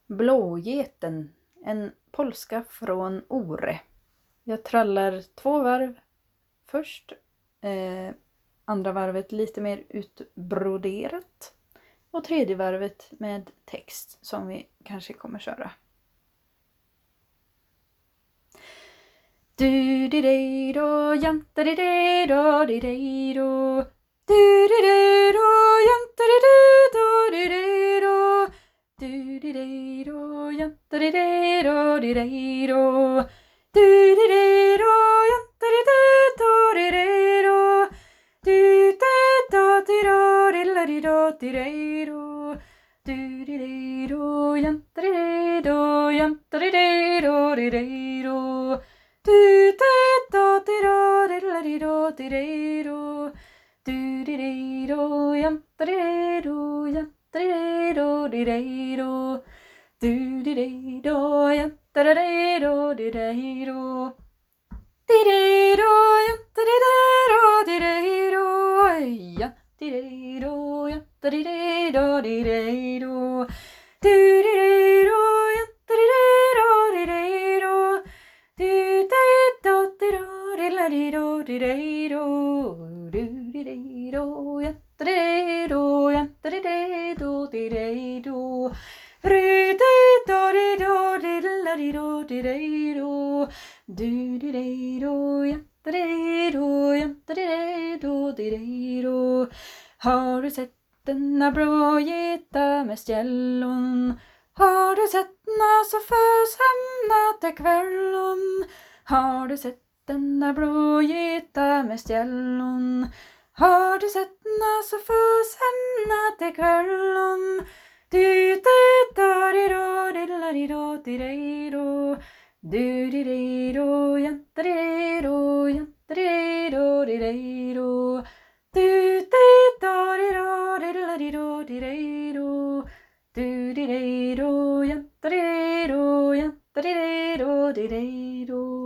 Blågeten, en polska från Ore. Jag trallar 2 varv först. Andra varvet lite mer utbroderat. Och tredje varvet med text som vi kanske kommer köra. Du di dej då, jante di dej då, di dej då. Du di dej då, jante di dej då, di dej då. Du di dej då, jante di dej då, di dej då. Du di dej då, jante di dej då, di dej då. Du di då, di då, dilla di då, di dej då. Du di dej då, jante di dej då, jante di dej då, di dej då. Du di då, di då, dilla di då, di dej då. Du di dej då, jante di dej då, jante di dej då, di dej då. Du di dej då, jante di dej då, di dej då. Di dej då, jante di dej då, di dej då. Jante di dej då, jante di dej då, di dej då. Du di dej då, jante di dej då, di dej då. Du di då, di då, dilla di då, di dej då. Du di dej då, jante di dej då, jante di dej då, di dej då. Ru di då, di då, dilla di då, di dej då. Du di dej då, jante di dej då, jante di dej då, di dej då. Har du sett denna blågeta med stjällon? Har du sett na så fös hemna till kvällen? Har du sett denna blågeta med stjällon? Har du sett na så fös hemna till kvällen? Du di da di då, dilla di då, di dej då. Du di dej då, jante di dej då, jante di dej då, di dej då. Du di da di då, dilla di då, di dej då. Du di dej då, jante di dej då, jante di dej då, di dej då.